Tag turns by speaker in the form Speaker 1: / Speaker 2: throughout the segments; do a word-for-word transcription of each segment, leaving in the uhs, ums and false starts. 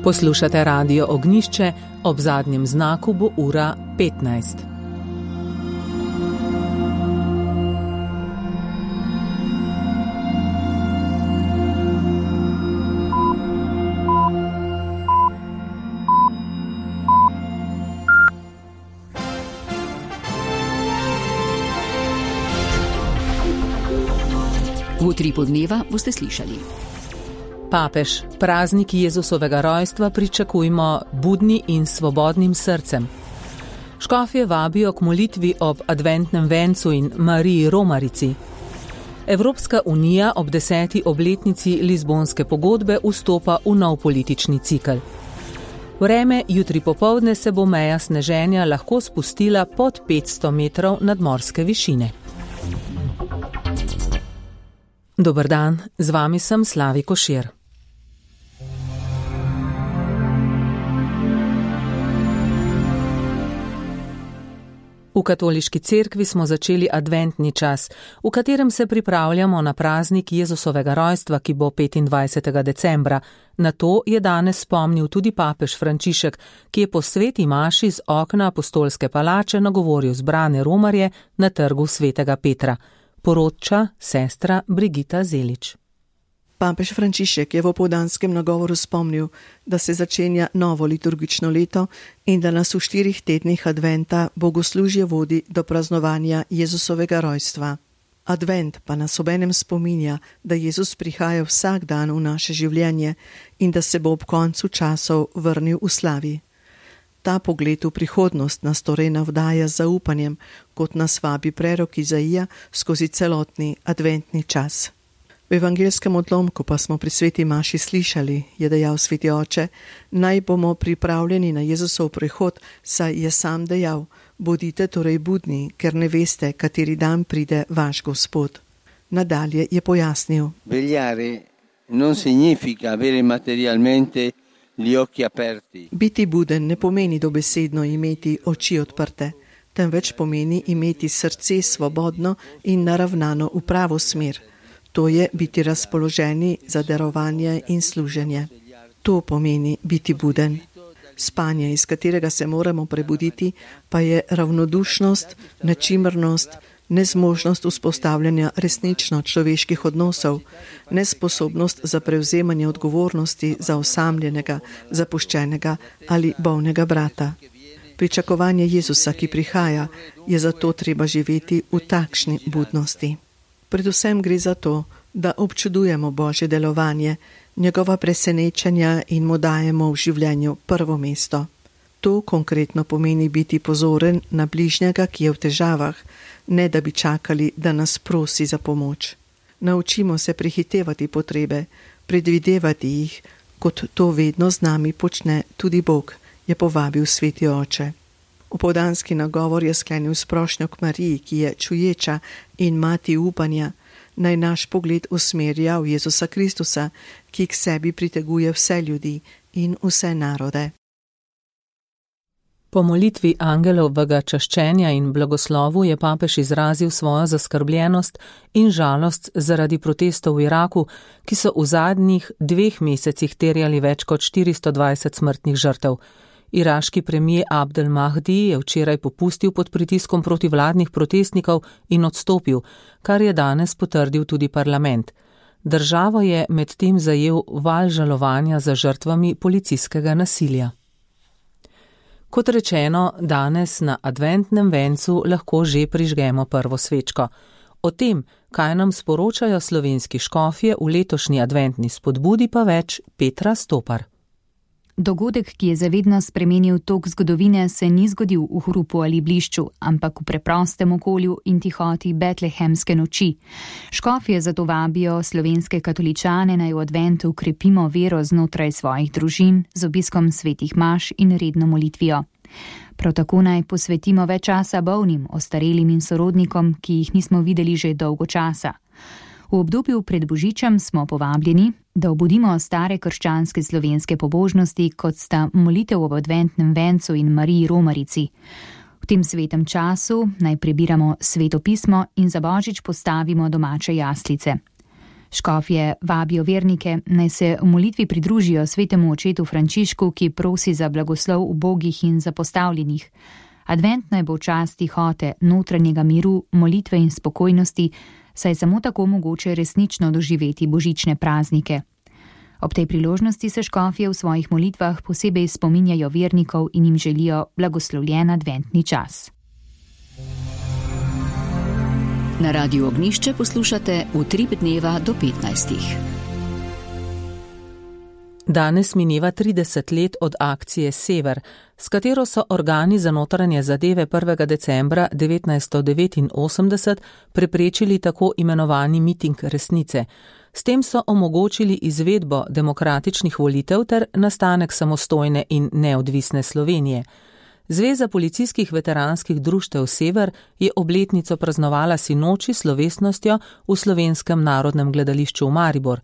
Speaker 1: Poslušate Radio Ognjišče, ob zadnjem znaku bo ura petnajst.
Speaker 2: V utripu dneva boste slišali.
Speaker 1: Papež, praznik Jezusovega rojstva pričakujmo budni in svobodnim srcem. Škofje vabijo k molitvi ob adventnem vencu in Mariji Romarici. Evropska unija ob deseti obletnici Lizbonske pogodbe vstopa v nov politični cikel. Vreme jutri popoldne se bo meja sneženja lahko spustila pod petsto metrov nadmorske višine. Dober dan, z vami sem Slavi Košir. V katoliški cerkvi smo začeli adventni čas, v katerem se pripravljamo na praznik Jezusovega rojstva, ki bo petindvajsetega decembra. Na to je danes spomnil tudi papež Frančišek, ki je po sveti maši z okna apostolske palače nagovoril zbrane romarje na trgu svetega Petra. Poroča sestra Brigita Zelič.
Speaker 3: Papež Frančišek je v opoldanskem nagovoru spomnil, da se začenja novo liturgično leto in da nas v štirih tednih adventa bogoslužje vodi do praznovanja Jezusovega rojstva. Advent pa nas obenem spominja, da Jezus prihaja vsak dan v naše življenje in da se bo ob koncu časov vrnil v slavi. Ta pogled v prihodnost nas torej navdaja z zaupanjem, kot nas vabi prerok Izaija skozi celotni adventni čas. V evangelskem odlomku pa smo pri sveti maši slišali, je dejal sveti oče, naj bomo pripravljeni na Jezusov prihod, saj je sam dejal, bodite torej budni, ker ne veste, kateri dan pride vaš Gospod. Nadalje je pojasnil.
Speaker 4: Vegliare non significa avere materialmente gli occhi aperti.
Speaker 3: Biti buden ne pomeni dobesedno imeti oči odprte, temveč pomeni imeti srce svobodno in naravnano v pravo smer. To je biti razpoloženi za darovanje in služenje. To pomeni biti buden. Spanje, iz katerega se moramo prebuditi, pa je ravnodušnost, nečimrnost, nezmožnost vzpostavljanja resnično človeških odnosov, nesposobnost za prevzemanje odgovornosti za osamljenega, zapuščenega ali bolnega brata. Pričakovanje Jezusa, ki prihaja, je zato treba živeti v takšni budnosti. Predvsem gre za to, da občudujemo Božje delovanje, njegova presenečenja in mu dajemo v življenju prvo mesto. To konkretno pomeni biti pozoren na bližnjega, ki je v težavah, ne da bi čakali, da nas prosi za pomoč. Naučimo se prehitevati potrebe, predvidevati jih, kot to vedno z nami počne tudi Bog, je povabil sveti oče. Opoldanski nagovor je sklenil s prošnjo k Mariji, ki je čuječa in mati upanja, naj naš pogled usmerja v Jezusa Kristusa, ki k sebi priteguje vse ljudi in vse narode.
Speaker 1: Po molitvi angelovega čaščenja in blagoslovu je papež izrazil svojo zaskrbljenost in žalost zaradi protestov v Iraku, ki so v zadnjih dveh mesecih terjali več kot štiristo dvajset smrtnih žrtev. Iraški premijer Abdel Mahdi je včeraj popustil pod pritiskom protivladnih protestnikov in odstopil, kar je danes potrdil tudi parlament. Državo je medtem zajel val žalovanja za žrtvami policijskega nasilja. Kot rečeno, danes na adventnem vencu lahko že prižgemo prvo svečko. O tem, kaj nam sporočajo slovenski škofje v letošnji adventni spodbudi, pa več Petra Stopar.
Speaker 5: Dogodek, ki je zavedno spremenil tok zgodovine, se ni zgodil v hrupu ali blišču, ampak v preprostem okolju in tihoti betlehemske noči. Škofje zato vabijo slovenske katoličane, naj v adventu krepimo vero znotraj svojih družin z obiskom svetih maš in redno molitvijo. Prav tako naj posvetimo več časa bolnim, ostarelim in sorodnikom, ki jih nismo videli že dolgo časa. V obdobju pred Božičem smo povabljeni, da obudimo stare krščanske slovenske pobožnosti, kot sta molitev ob adventnem vencu in Mariji Romarici. V tem svetem času naj prebiramo sveto pismo in za Božič postavimo domače jaslice. Škofje vabijo vernike, naj se v molitvi pridružijo svetemu očetu Frančišku, ki prosi za blagoslov ubogih in zapostavljenih. Advent naj bo čas tihote, notranjega miru, molitve in spokojnosti, saj samo tako mogoče resnično doživeti božične praznike. Ob tej priložnosti se škofje v svojih molitvah posebej spominjajo vernikov in jim želijo blagoslovljen adventni čas.
Speaker 2: Na Radiu Ognjišče poslušate Utrip dneva do petnajstih.
Speaker 1: Danes mineva trideset let od akcije Sever, s katero so organi za notranje zadeve prvega decembra devetnajststo devetinosemdeset preprečili tako imenovani miting resnice. S tem so omogočili izvedbo demokratičnih volitev ter nastanek samostojne in neodvisne Slovenije. Zveza policijskih veteranskih društev Sever je obletnico praznovala sinoči slovesnostjo v Slovenskem narodnem gledališču v Maribor.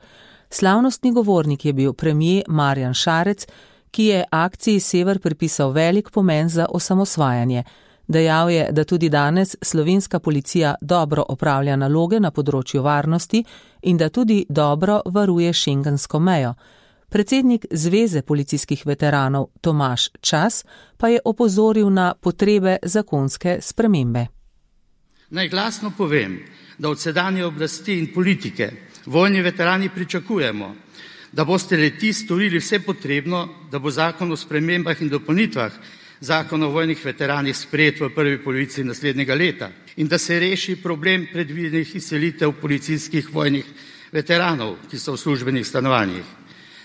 Speaker 1: Slavnostni govornik je bil premier Marjan Šarec, ki je akciji Sever pripisal velik pomen za osamosvajanje. Dejal je, da tudi danes slovenska policija dobro opravlja naloge na področju varnosti in da tudi dobro varuje šengensko mejo. Predsednik Zveze policijskih veteranov Tomaž Čas pa je opozoril na potrebe zakonske spremembe.
Speaker 6: Naj glasno povem, da od sedanje oblasti in politike vojni veterani pričakujemo, da boste leti storili vse potrebno, da bo zakon o spremembah in dopolnitvah zakon o vojnih veteranih sprejet v prvi polovici naslednjega leta in da se reši problem predvidenih izselitev policijskih vojnih veteranov, ki so v službenih stanovanjih.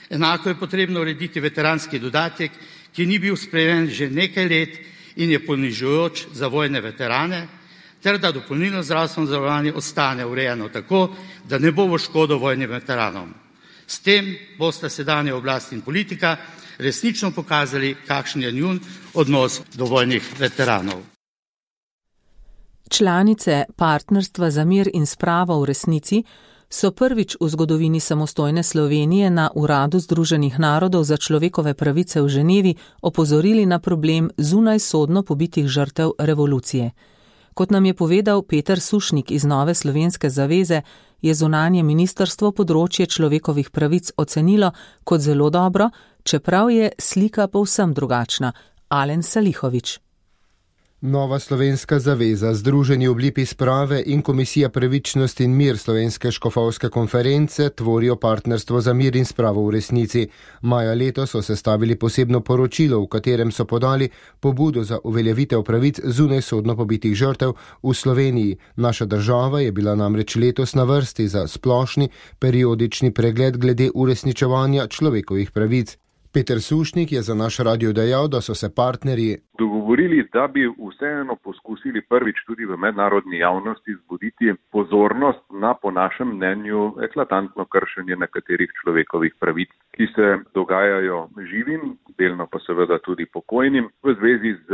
Speaker 6: Enako je potrebno urediti veteranski dodatek, ki ni bil spremenjen že nekaj let in je ponižujoč za vojne veterane, ter da dopolnilno zdravstveno zavarovanje ostane urejeno tako, da ne bo v škodo vojnim veteranom. S tem bosta sedanja oblast in politika resnično pokazali, kakšen je njun odnos do vojnih veteranov.
Speaker 1: Članice Partnerstva za mir in spravo v resnici so prvič v zgodovini samostojne Slovenije na Uradu Združenih narodov za človekove pravice v Ženevi opozorili na problem zunajsodno pobitih žrtev revolucije. Kot nam je povedal Peter Sušnik iz Nove slovenske zaveze, je zunanje ministrstvo področje človekovih pravic ocenilo kot zelo dobro, čeprav je slika povsem drugačna. Alen Salihovič.
Speaker 7: Nova slovenska zaveza, Združeni oblipi sprave in Komisija pravičnost in mir Slovenske škofovske konference tvorijo Partnerstvo za mir in spravo v resnici. Maja letos so sestavili posebno poročilo, v katerem so podali pobudo za uveljavitev pravic zunajsodno pobitih žrtev v Sloveniji. Naša država je bila namreč letos na vrsti za splošni periodični pregled glede uresničevanja človekovih pravic. Peter Sušnik je za naš radio dejal, da so se partnerji
Speaker 8: dogovorili, da bi vseeno poskusili prvič tudi v mednarodni javnosti zbuditi pozornost na, po našem mnenju, eklatantno kršenje nekaterih človekovih pravic, ki se dogajajo živim, delno pa seveda tudi pokojnim, v zvezi z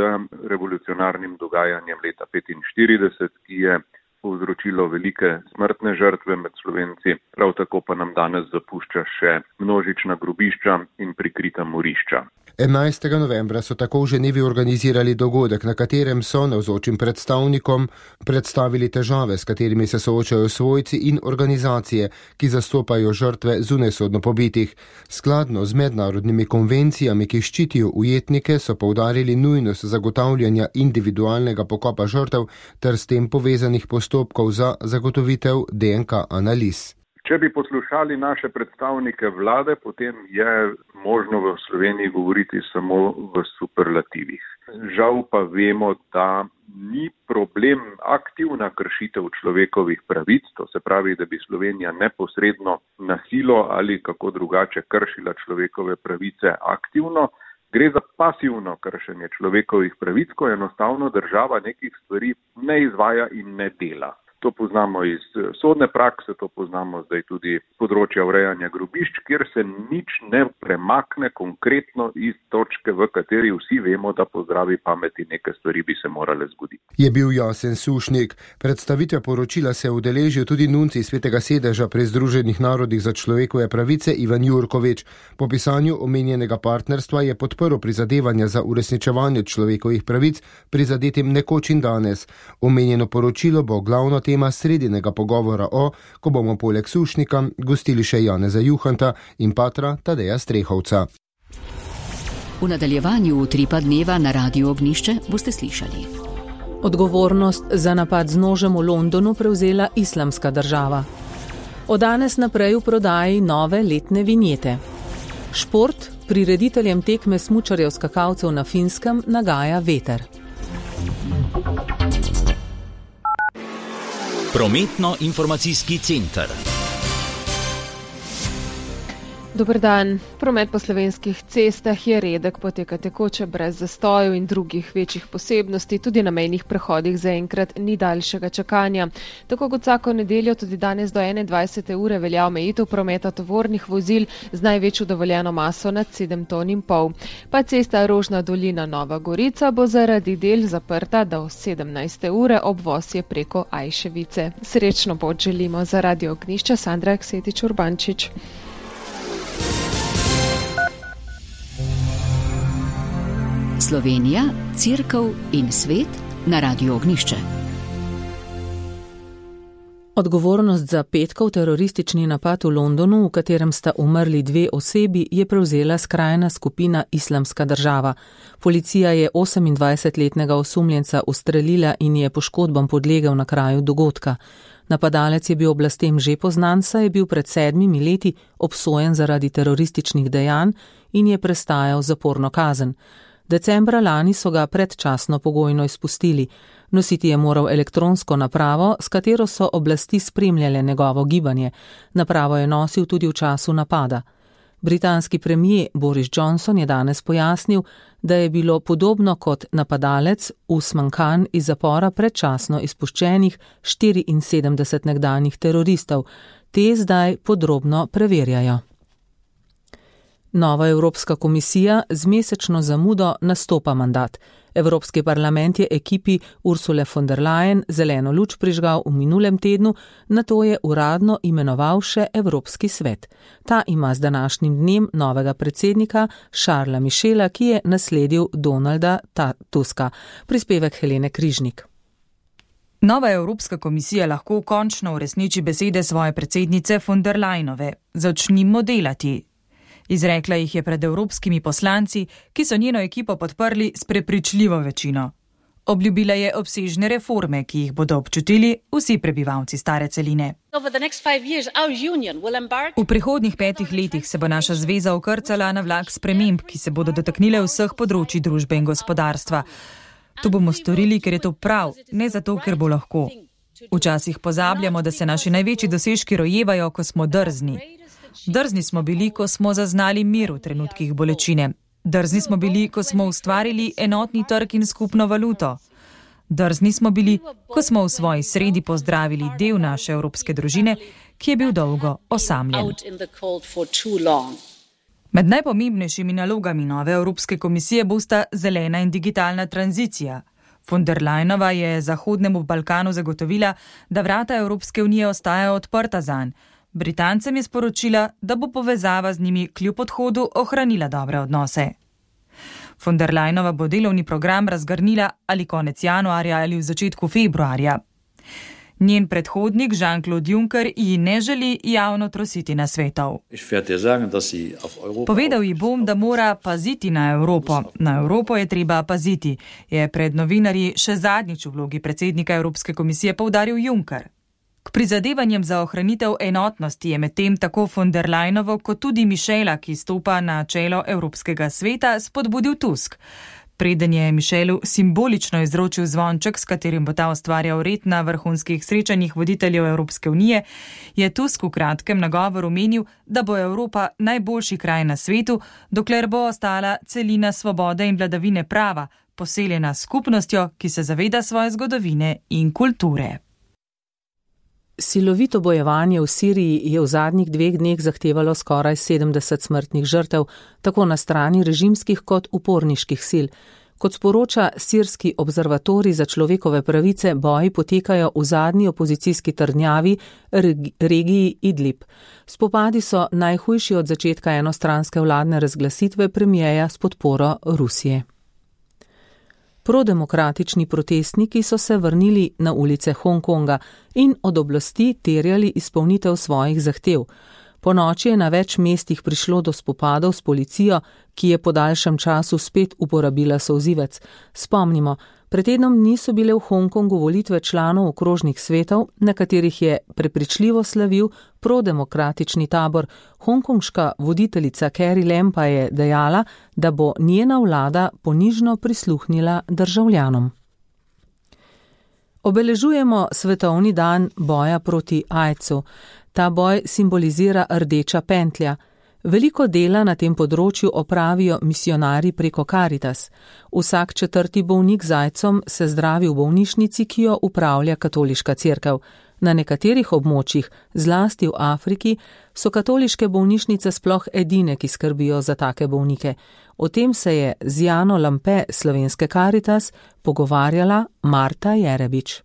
Speaker 8: revolucionarnim dogajanjem leta petinštirideset, ki je povzročilo velike smrtne žrtve med Slovenci, prav tako pa nam danes zapušča še množična grobišča in prikrita morišča.
Speaker 7: enajstega novembra so tako v Ženevi organizirali dogodek, na katerem so navzočim predstavnikom predstavili težave, s katerimi se soočajo svojci in organizacije, ki zastopajo žrtve zunajsodno pobitih. Skladno z mednarodnimi konvencijami, ki ščitijo ujetnike, so poudarili nujnost zagotavljanja individualnega pokopa žrtev ter s tem povezanih postopkov za zagotovitev D N K analiz.
Speaker 8: Če bi poslušali naše predstavnike vlade, potem je možno v Sloveniji govoriti samo v superlativih. Žal pa vemo, da ni problem aktivna kršitev človekovih pravic, to se pravi, da bi Slovenija neposredno na silo ali kako drugače kršila človekove pravice aktivno. Gre za pasivno kršenje človekovih pravic, ko enostavno država nekih stvari ne izvaja in ne dela. To poznamo iz sodne prakse, to poznamo zdaj tudi z področja urejanja grobišč, kjer se nič ne premakne konkretno iz točke, v kateri vsi vemo, da po zdravi pameti neke stvari bi se morale zgoditi.
Speaker 7: Je bil jasen Sušnik. Predstavitve poročila se je udeležil tudi nuncij Svetega sedeža pri Združenih narodih za človekove pravice Ivan Jurkovič. Po pisanju omenjenega partnerstva je podprl prizadevanja za uresničevanje človekovih pravic prizadetim nekoč in danes. Omenjeno poročilo bo glavno temo tema sredinega pogovora o, ko bomo poleg Sušnika gostili še Janeza Juhanta in patra Tadeja Strehovca.
Speaker 2: V nadaljevanju Utripa dneva na Radiu Ognjišče boste slišali.
Speaker 1: Odgovornost za napad z nožem v Londonu prevzela Islamska država. Od danes naprej v prodaji nove letne vinjete. Šport prirediteljem tekme smučarjev skakalcev na Finskem nagaja veter.
Speaker 9: Prometno-informacijski center.
Speaker 10: Dober dan. Promet po slovenskih cestah je redek, poteka tekoče brez zastojev in drugih večjih posebnosti, tudi na mejnih prehodih zaenkrat ni daljšega čakanja. Tako kot vsako nedeljo tudi danes do enaindvajsete ure velja omejitev prometa tovornih vozil z največjo dovoljeno maso nad sedem ton in pol. Pa cesta Rožna dolina Nova Gorica bo zaradi del zaprta do sedemnajste ure, obvoz je preko Ajševice. Srečno pot želimo za Radio Ognjišče, Sandra Aksetič Urbančič.
Speaker 2: Slovenija, Cerkev in svet na Radiu Ognjišče.
Speaker 1: Odgovornost za petkov teroristični napad v Londonu, v katerem sta umrli dve osebi, je prevzela skrajna skupina Islamska država. Policija je osemindvajsetletnega osumljenca ustrelila in je poškodbam podlegel na kraju dogodka. Napadalec je bil oblastem že poznan, saj je bil pred sedmimi leti obsojen zaradi terorističnih dejanj in je prestajal zaporno kazen. Decembra lani so ga predčasno pogojno izpustili. Nositi je moral elektronsko napravo, s katero so oblasti spremljale njegovo gibanje. Napravo je nosil tudi v času napada. Britanski premijer Boris Johnson je danes pojasnil, da je bilo podobno kot napadalec Usman Khan iz zapora predčasno izpuščenih štiriinsedemdeset nekdanjih teroristov. Te zdaj podrobno preverjajo. Nova Evropska komisija z mesečno zamudo nastopa mandat. Evropski parlament je ekipi Ursule von der Leyen zeleno luč prižgal v minulem tednu, nato je uradno imenoval še Evropski svet. Ta ima z današnjim dnem novega predsednika Charlesa Michela, ki je nasledil Donalda Tuska. Prispevek Helene Križnik.
Speaker 11: Nova Evropska komisija lahko končno uresniči besede svoje predsednice von der Leyenove. Začnimo delati. Izrekla jih je pred evropskimi poslanci, ki so njeno ekipo podprli s prepričljivo večino. Obljubila je obsežne reforme, ki jih bodo občutili vsi prebivalci stare celine. V prihodnjih petih letih se bo naša zveza ukrcala na vlak sprememb, ki se bodo dotaknile vseh področij družbe in gospodarstva. To bomo storili, ker je to prav, ne zato, ker bo lahko. Včasih pozabljamo, da se naši največji dosežki rojevajo, ko smo drzni. Drzni smo bili, ko smo zaznali mir v trenutkih bolečine. Drzni smo bili, ko smo ustvarili enotni trg in skupno valuto. Drzni smo bili, ko smo v svoji sredi pozdravili del naše evropske družine, ki je bil dolgo osamljen. Med najpomembnejšimi nalogami nove Evropske komisije bosta zelena in digitalna tranzicija. Von der Leyenova je Zahodnemu Balkanu zagotovila, da vrata Evropske unije ostajajo odprta zanj. Britancem je sporočila, da bo povezava z njimi kljub odhodu ohranila dobre odnose. Von der Leyenova bo delovni program razgrnila ali konec januarja ali v začetku februarja. Njen predhodnik Jean-Claude Juncker ji ne želi javno trositi nasvetov. Povedal ji bom, da mora paziti na Evropo. Na Evropo je treba paziti, je pred novinarji še zadnjič v vlogi predsednika Evropske komisije poudaril Juncker. K prizadevanjem za ohranitev enotnosti je medtem tako von der Leyenovo kot tudi Michela, ki stopa na čelo Evropskega sveta, spodbudil Tusk. Preden je Michelu simbolično izročil zvonček, s katerim bo ta ustvarjal red na vrhunskih srečanjih voditeljev Evropske unije, je Tusk v kratkem nagovoru menil, da bo Evropa najboljši kraj na svetu, dokler bo ostala celina svobode in vladavine prava, poseljena skupnostjo, ki se zaveda svoje zgodovine in kulture.
Speaker 1: Silovito bojevanje v Siriji je v zadnjih dveh dneh zahtevalo skoraj sedemdeset smrtnih žrtev, tako na strani režimskih kot uporniških sil. Kot sporoča sirski observatorij za človekove pravice, boji potekajo v zadnji opozicijski trdnjavi regiji Idlib. Spopadi so najhujši od začetka enostranske vladne razglasitve premijeja s podporo Rusije. Prodemokratični protestniki so se vrnili na ulice Hongkonga in od oblasti terjali izpolnitev svojih zahtev. Po noči je na več mestih prišlo do spopadov s policijo, ki je po daljšem času spet uporabila solzivec. Spomnimo, pred tednom niso bile v Hongkongu volitve članov okrožnih svetov, na katerih je prepričljivo slavil prodemokratični tabor. Hongkonška voditeljica Carrie Lam pa je dejala, da bo njena vlada ponižno prisluhnila državljanom. Obeležujemo svetovni dan boja proti aidsu. Ta boj simbolizira rdeča pentlja. Veliko dela na tem področju opravijo misionarji preko Caritas. Vsak četrti bolnik z aidsom se zdravi v bolnišnici, ki jo upravlja katoliška cerkev. Na nekaterih območjih, zlasti v Afriki, so katoliške bolnišnice sploh edine, ki skrbijo za take bolnike. O tem se je z Jano Lampe slovenske Caritas pogovarjala Marta Jerebič.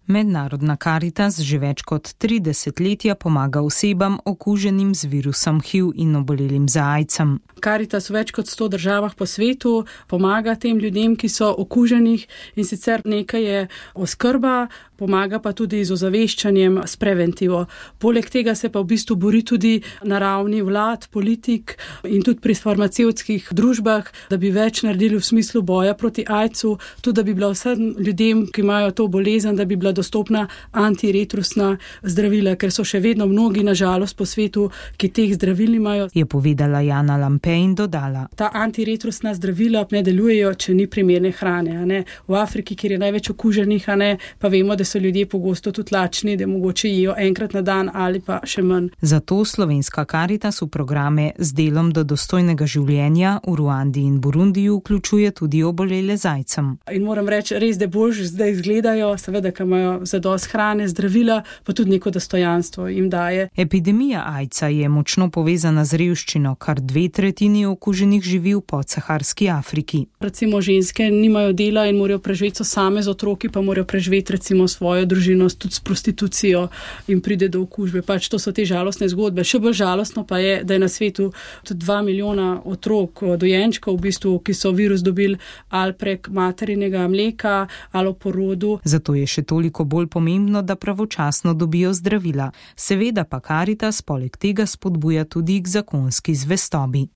Speaker 12: Mednarodna Caritas že več kot tri desetletja pomaga osebam okuženim z virusom H I V in obolelim za aidsom.
Speaker 13: Caritas v več kot sto državah po svetu pomaga tem ljudem, ki so okuženih, in sicer nekaj je oskrba, pomaga pa tudi z ozaveščanjem, s preventivo. Poleg tega se pa v bistvu bori tudi na ravni vlad, politik in tudi pri farmacevtskih družbah, da bi več naredili v smislu boja proti aidsu, tudi da bi bila vsem ljudem, ki imajo to bolezen, da bi bila dostopna antiretrusna zdravila, ker so še vedno mnogi, na žalost, po svetu, ki teh zdravil nimajo.
Speaker 12: Je povedala Jana Lampe in dodala.
Speaker 13: Ta antiretrusna zdravila ne delujejo, če ni primerne hrane. A ne? V Afriki, kjer je največ okuženih, a ne, pa vemo, da so ljudje pogosto tudi lačni, da mogoče jejo enkrat na dan ali pa še manj.
Speaker 12: Zato slovenska Caritas v programe z delom do dostojnega življenja v Ruandi in Burundiju vključuje tudi obolele z aidsom.
Speaker 13: In moram reči, res, da bolj zdaj izgledajo, seveda, ki imajo zadost hrane, zdravila, pa tudi neko dostojanstvo jim daje.
Speaker 12: Epidemija aidsa je močno povezana z revščino, kar dve tretjini okuženih živi v podsaharski Afriki.
Speaker 13: Recimo ženske nimajo dela in morajo preživeti same z otroki, pa morajo preživeti recimo svojo družino tudi s prostitucijo in pride do okužbe. Pač to so te žalostne zgodbe. Še bolj žalostno pa je, da je na svetu tudi dva milijona otrok, dojenčkov v bistvu, ki so virus dobili ali prek materinega mleka ali v porodu.
Speaker 12: Zato je še toliko bolj pomembno, da pravočasno dobijo zdravila. Seveda pa Caritas poleg tega spodbuja tudi k zakonski zvestobi.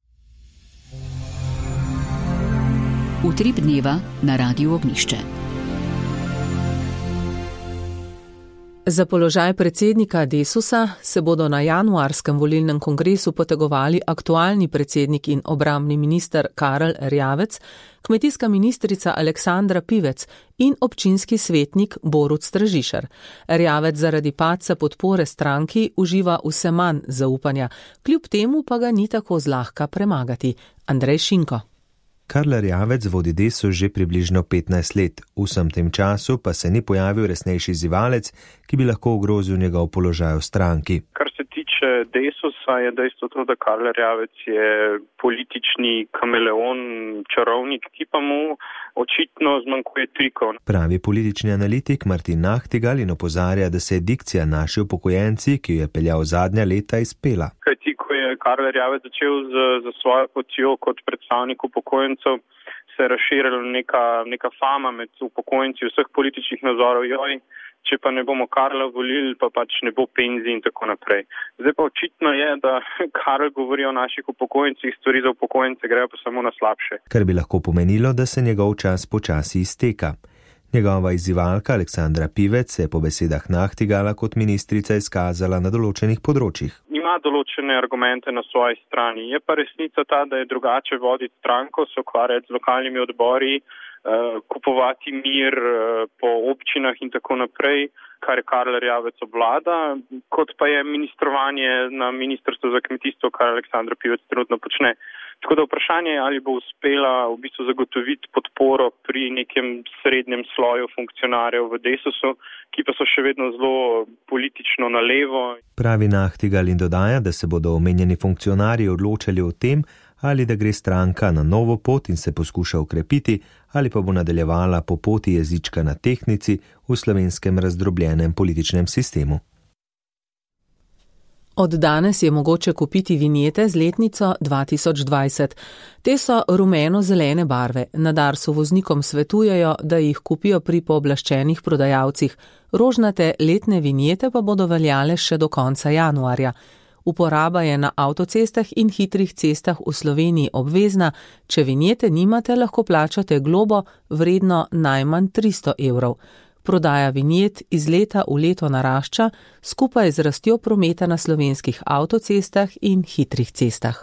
Speaker 2: Utrip dneva na Radiu Ognišče.
Speaker 1: Za položaj predsednika Desusa se bodo na januarskem volilnem kongresu potegovali aktualni predsednik in obrambni minister Karel Erjavec, kmetijska ministrica Aleksandra Pivec in občinski svetnik Borut Stražišar. Erjavec zaradi padca podpore stranki uživa vse manj zaupanja, kljub temu pa ga ni tako zlahka premagati. Andrej Šinko.
Speaker 14: Karel Erjavec vodi Desus že približno petnajst let, v vsem tem času pa se ni pojavil resnejši zivalec, ki bi lahko ogrozil njegov položaj v stranki.
Speaker 15: Kar se tiče Desusa, je dejstvo to, da Karel Erjavec je politični kameleon, čarovnik, ki pa mu očitno zmanjkuje trikov.
Speaker 14: Pravi politični analitik Martin Nahtigal in opozarja, da se je dikcija naši upokojenci, ki jo je peljal zadnja leta, izpela.
Speaker 15: Kajti, ko je Karel Erjavec začel z, z svojo potjo kot predstavnik upokojencev, se je razširila neka, neka fama med upokojenci vseh političnih nazorov, joj, če pa ne bomo Karla volili, pa pač ne bo penzij in tako naprej. Zdaj pa očitno je, da Karel govori o naših upokojencih, stvari za upokojence grejo pa samo na slabše.
Speaker 14: Kar bi lahko pomenilo, da se njegov čas počasi izteka. Njegova izzivalka Aleksandra Pivec se je po besedah Nahtigala kot ministrica izkazala na določenih področjih.
Speaker 15: Ima določene argumente na svoji strani. Je pa resnica ta, da je drugače voditi stranko, se ukvarjati z lokalnimi odbori, kupovati mir po občinah in tako naprej, kar je Karel Erjavec obvlada, kot pa je ministrovanje na ministrstvu za kmetijstvo, kar Aleksandra Pivec trenutno počne. Tako da vprašanje je, ali bo uspela v bistvu zagotoviti podporo pri nekem srednjem sloju funkcionarjev v Desusu, ki pa so še vedno zelo politično na levo.
Speaker 14: Pravi Nahtigal in dodaja, da se bodo omenjeni funkcionarji odločali o tem, ali da gre stranka na novo pot in se poskuša ukrepiti, ali pa bo nadaljevala po poti jezička na tehtnici v slovenskem razdrobljenem političnem sistemu.
Speaker 1: Od danes je mogoče kupiti vinjete z letnico dva tisoč dvajset. Te so rumeno-zelene barve. Na Darsu voznikom svetujejo, da jih kupijo pri pooblaščenih prodajalcih. Rožnate letne vinjete pa bodo veljale še do konca januarja. Uporaba je na avtocestah in hitrih cestah v Sloveniji obvezna. Če vinjete nimate, lahko plačate globo vredno najmanj tristo evrov. Prodaja vinjet iz leta v leto narašča, skupaj z rastjo prometa na slovenskih avtocestah in hitrih cestah.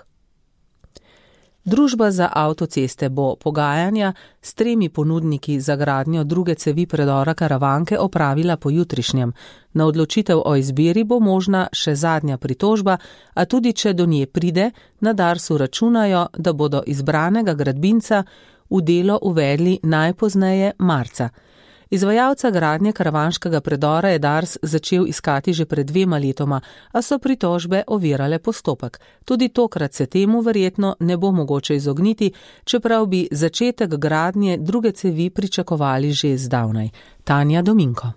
Speaker 1: Družba za avtoceste bo pogajanja s tremi ponudniki za gradnjo druge cevi predora Karavanke opravila pojutrišnjem. Na odločitev o izbiri bo možna še zadnja pritožba, a tudi če do nje pride, na Darsu računajo, da bodo izbranega gradbinca v delo uvedli najpozneje marca. Izvajalca gradnje karavanškega predora je Dars začel iskati že pred dvema letoma, a so pritožbe ovirale postopek. Tudi tokrat se temu verjetno ne bo mogoče izogniti, čeprav bi začetek gradnje druge cevi pričakovali že zdavnaj. Tanja Dominko.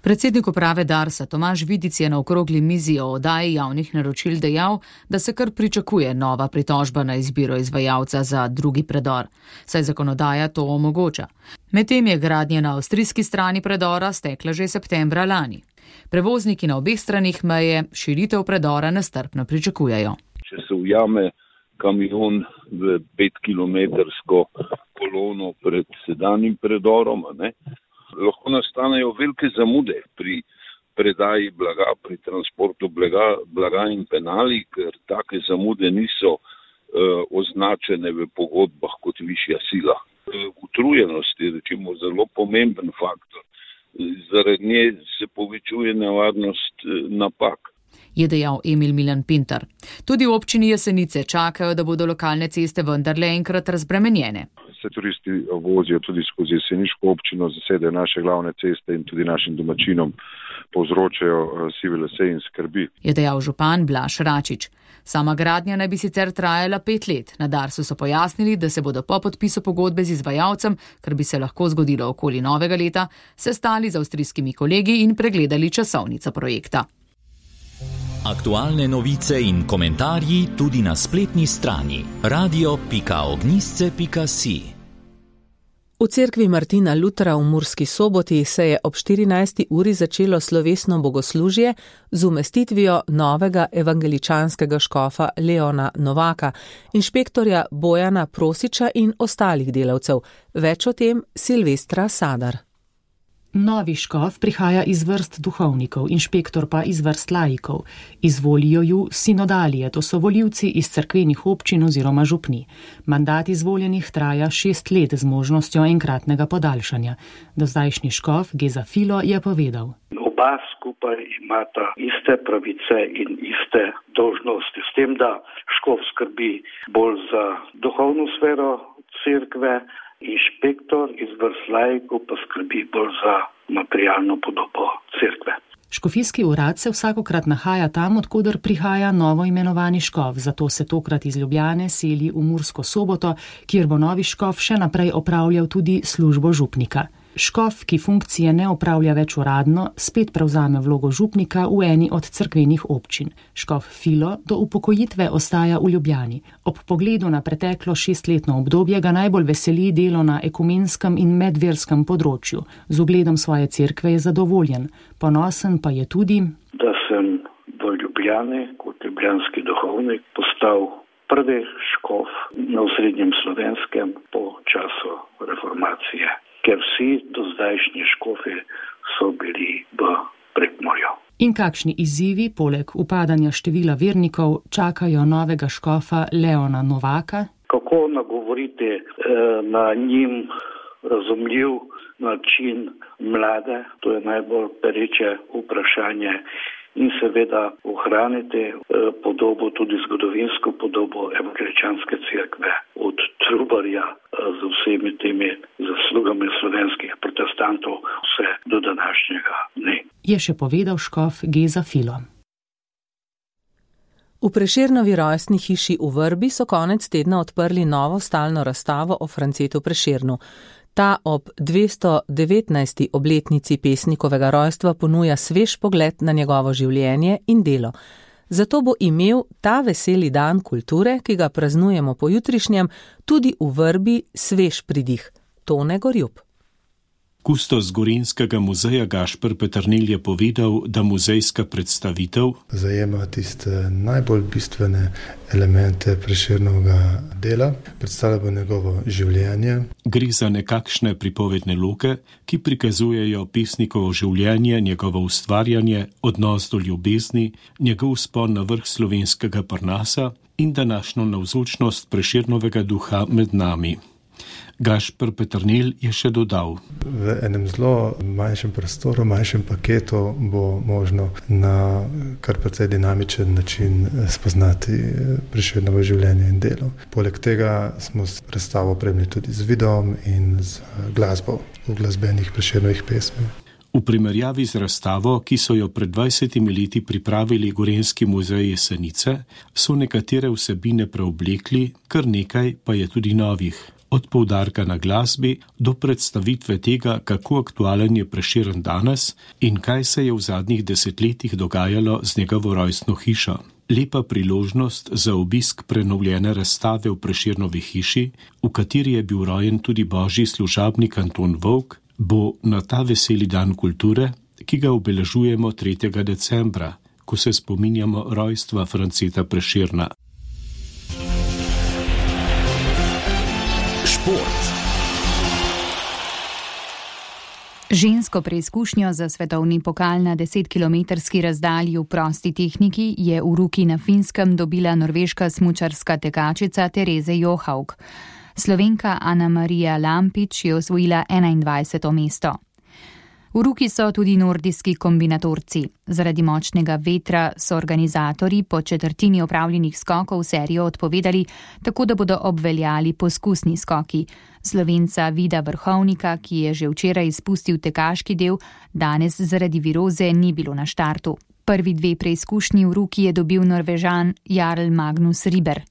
Speaker 16: Predsednik uprave Darsa Tomaž Vidic je na okrogli mizi o oddaji javnih naročil dejal, da se kar pričakuje nova pritožba na izbiro izvajalca za drugi predor, saj zakonodaja to omogoča. Medtem je gradnja na avstrijski strani predora stekla že septembra lani. Prevozniki na obeh stranih meje širitev predora nestrpno pričakujejo.
Speaker 17: Če se ujame kamion v petkilometrsko kolono pred sedanjim predorom, ne? Lahko nastanejo velike zamude pri predaji blaga, pri transportu blaga, blaga in penali, ker take zamude niso uh, označene v pogodbah kot višja sila. Uh, utrujenost je recimo zelo pomemben faktor. Zaradi nje se povečuje nevarnost uh, napak.
Speaker 16: Je dejal Emil Milan Pintar. Tudi v občini Jesenice čakajo, da bodo lokalne ceste vendarle enkrat razbremenjene.
Speaker 8: Se turisti vozijo tudi skozi jeseniško občino, zasedajo naše glavne ceste in tudi našim domačinom povzročajo sive lase in skrbi.
Speaker 16: Je dejal župan Blaž Račič. Sama gradnja naj bi sicer trajala pet let. Na Darsu so pojasnili, da se bodo po podpisu pogodbe z izvajalcem, kar bi se lahko zgodilo okoli novega leta, sestali z avstrijskimi kolegi in pregledali časovnico projekta.
Speaker 9: Aktualne novice in komentarji tudi na spletni strani radio pika ognjišče pika si.
Speaker 1: V cerkvi Martina Lutra v Murski Soboti se je ob štirinajsti uri začelo slovesno bogoslužje z umestitvijo novega evangeličanskega škofa Leona Novaka, inšpektorja Bojana Prosiča in ostalih delavcev. Več o tem Silvestra Sadar.
Speaker 18: Novi škof prihaja iz vrst duhovnikov, inšpektor pa iz vrst laikov. Izvolijo ju sinodalije, to so volivci iz cerkvenih občin oziroma župni. Mandat izvoljenih traja šest let z možnostjo enkratnega podaljšanja. Dozdajšnji škof Geza Filo je povedal.
Speaker 19: Oba skupaj imata iste pravice in iste dolžnosti. S tem, da škof skrbi bolj za duhovno sfero cerkve, inšpektor iz vrst laikov pa skrbi bolj za materialno podobo cerkve.
Speaker 18: Škofijski urad se vsakokrat nahaja tam, odkoder prihaja novo imenovani škof, zato se tokrat iz Ljubljane seli v Mursko Soboto, kjer bo novi škof še naprej opravljal tudi službo župnika. Škof, ki funkcije ne opravlja več uradno, spet prevzame vlogo župnika v eni od cerkvenih občin. Škof Filo do upokojitve ostaja v Ljubljani. Ob pogledu na preteklo šestletno obdobje ga najbolj veseli delo na ekumenskem in medverskem področju. Z ugledom svoje cerkve je zadovoljen. Ponosen pa je tudi,
Speaker 19: da sem v Ljubljani kot ljubljanski duhovnik postal prvi škof na osrednjem Slovenskem po času reformacije, ker vsi dozdajšnji škofi so bili v Prekmurju.
Speaker 18: In kakšni izzivi, poleg upadanja števila vernikov, čakajo novega škofa Leona Novaka?
Speaker 19: Kako nagovoriti eh, na njim razumljiv način mlade, to je najbolj pereče vprašanje, in seveda ohraniti eh, podobo, tudi zgodovinsko podobo evangeličanske cerkve od Trubarja eh, z vsemi temi zaslugami slovenskih protestantov vse do današnjega dne.
Speaker 18: Je še povedal škof Geza Filo.
Speaker 1: V Prešernovi rojstni hiši v Vrbi so konec tedna odprli novo stalno razstavo o Francetu Prešernu. Ta ob dvesto devetnajsti obletnici pesnikovega rojstva ponuja svež pogled na njegovo življenje in delo. Zato bo imel ta veseli dan kulture, ki ga praznujemo pojutrišnjem, tudi v vrbi svež pridih. Tone Gorjup.
Speaker 20: Kustos Gorenjskega muzeja Gašper Peternelj je povedal, da muzejska predstavitev
Speaker 21: zajema tiste najbolj bistvene elemente Prešernovega dela, predstavlja bo njegovo življenje.
Speaker 20: Gre za nekakšne pripovedne loke, ki prikazujejo pesnikovo življenje, njegovo ustvarjanje, odnos do ljubezni, njegov vzpon na vrh slovenskega Parnasa in današnjo navzočnost Prešernovega duha med nami. Gašper Peternelj je še dodal.
Speaker 21: V enem zelo manjšem prostoru, manjšem paketu bo možno na kar precej dinamičen način spoznati Prešernovo življenje in delo. Poleg tega smo predstavo opremili tudi z videom in z glasbo v glasbenih Prešernovih pesmi.
Speaker 20: V primerjavi z razstavo, ki so jo pred dvajsetimi leti pripravili Gorenjski muzej Jesenice, so nekatere vsebine preoblekli, kar nekaj pa je tudi novih. Od poudarka na glasbi do predstavitve tega, kako aktualen je Prešeren danes in kaj se je v zadnjih desetletjih dogajalo z njegovo rojstno hišo. Lepa priložnost za obisk prenovljene razstave v Prešernovi hiši, v kateri je bil rojen tudi božji služabnik Anton Volk, bo na ta veseli dan kulture, ki ga obeležujemo tretjega decembra, ko se spominjamo rojstva Franceta Prešerna.
Speaker 9: Šport.
Speaker 5: Žensko preizkušnjo za svetovni pokal na desetkilometrski razdalji v prosti tehniki je v Ruki na Finskem dobila norveška smučarska tekačica Tereze Johaug. Slovenka Ana Marija Lampič je osvojila enaindvajseto mesto. V Ruki so tudi nordijski kombinatorci. Zaradi močnega vetra so organizatorji po četrtini opravljenih skokov serijo odpovedali, tako da bodo obveljali poskusni skoki. Slovenca Vida Vrhovnika, ki je že včeraj izpustil tekaški del, danes zaradi viroze ni bilo na štartu. Prvi dve preizkušnji v Ruki je dobil Norvežan Jarl Magnus Riber.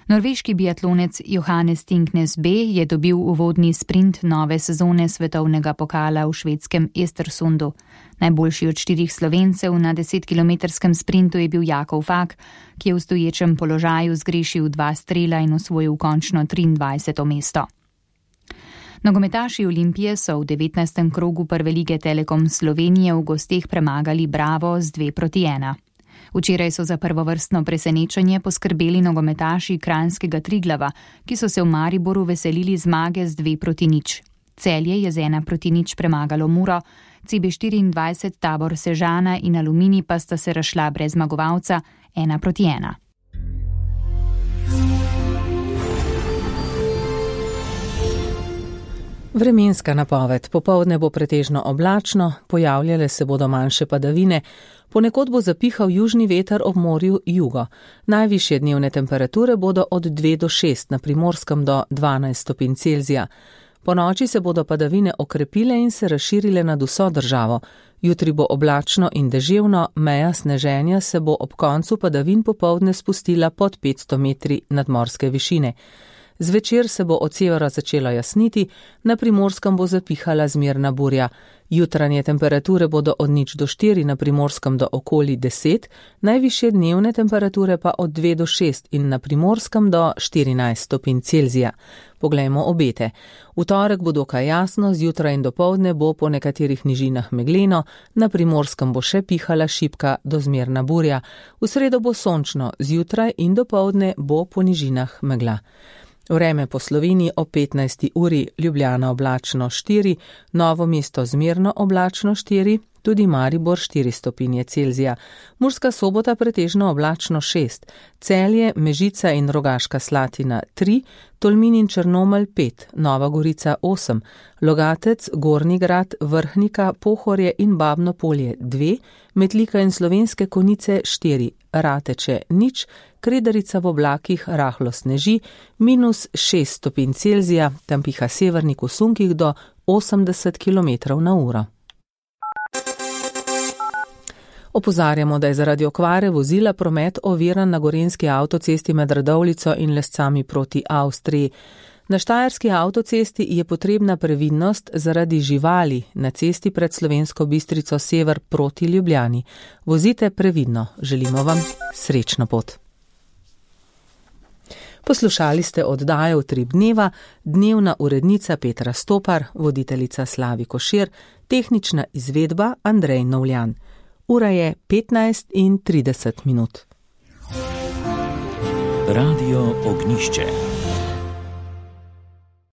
Speaker 5: Norveški biatlonec Johannes Tingnes B. je dobil uvodni sprint nove sezone svetovnega pokala v švedskem Estersundu. Najboljši od štirih Slovencev na desetkilometrskem sprintu je bil Jakov Fak, ki je v stoječem položaju zgrešil dva strela in osvojil končno triindvajseto mesto. Nogometaši Olimpije so v devetnajstem krogu prve lige Telekom Slovenije v gosteh premagali Bravo z dve proti ena. Včeraj so za prvovrstno presenečenje poskrbeli nogometaši kranjskega Triglava, ki so se v Mariboru veselili zmage z dve proti nič. Celje je z ena proti nič premagalo Muro, C B štiriindvajset Tabor Sežana in Aluminij pa sta se razšla brez zmagovalca ena proti ena.
Speaker 1: Vremenska napoved. Popoldne bo pretežno oblačno, pojavljale se bodo manjše padavine, ponekod bo zapihal južni veter ob morju jugo. Najvišje dnevne temperature bodo od dve do šest, na Primorskem do dvanajst stopinj Celzija. Po noči se bodo padavine okrepile in se razširile nad vso državo. Jutri bo oblačno in deževno, meja sneženja se bo ob koncu padavin popoldne spustila pod petsto metri nadmorske višine. Zvečer se bo od severa začelo jasniti, na Primorskem bo zapihala zmerna burja. Jutranje temperature bodo od nič do štiri, na Primorskem do okoli deset, najvišje dnevne temperature pa od dve do šest in na Primorskem do štirinajst stopinj Celzija. Poglejmo obete. V torek bo dokaj jasno, zjutraj in dopoldne bo po nekaterih nižinah megleno, na Primorskem bo še pihala šibka do zmerna burja. V sredo bo sončno, zjutraj in dopoldne bo po nižinah megla. Vreme po Sloveniji o petnajsti uri, Ljubljana oblačno štiri, Novo mesto zmerno oblačno štiri, tudi Maribor štiri stopinje Celzija, Murska Sobota pretežno oblačno šest, Celje, Mežica in Rogaška Slatina tri, Tolmin in Črnomelj pet, Nova Gorica osem, Logatec, Gornji Grad, Vrhnika, Pohorje in Babno Polje dve, Metlika in Slovenske Konjice štiri, Rateče nič, Kredarica v oblakih rahlo sneži, minus šest stopinj Celzija, tam piha severnik v sunkih do osemdeset kilometrov na uro. Opozarjamo, da je zaradi okvare vozila promet oviran na gorenjski avtocesti med Radovljico in Lescami proti Avstriji. Na štajerski avtocesti je potrebna previdnost zaradi živali na cesti pred Slovensko Bistrico sever proti Ljubljani. Vozite previdno, želimo vam srečno pot. Poslušali ste oddajo Utrip dneva, dnevna urednica Petra Stopar, voditeljica Slavi Košir, tehnična izvedba Andrej Novljan. Ura je petnajst in trideset minut.
Speaker 9: Radio Ognišče.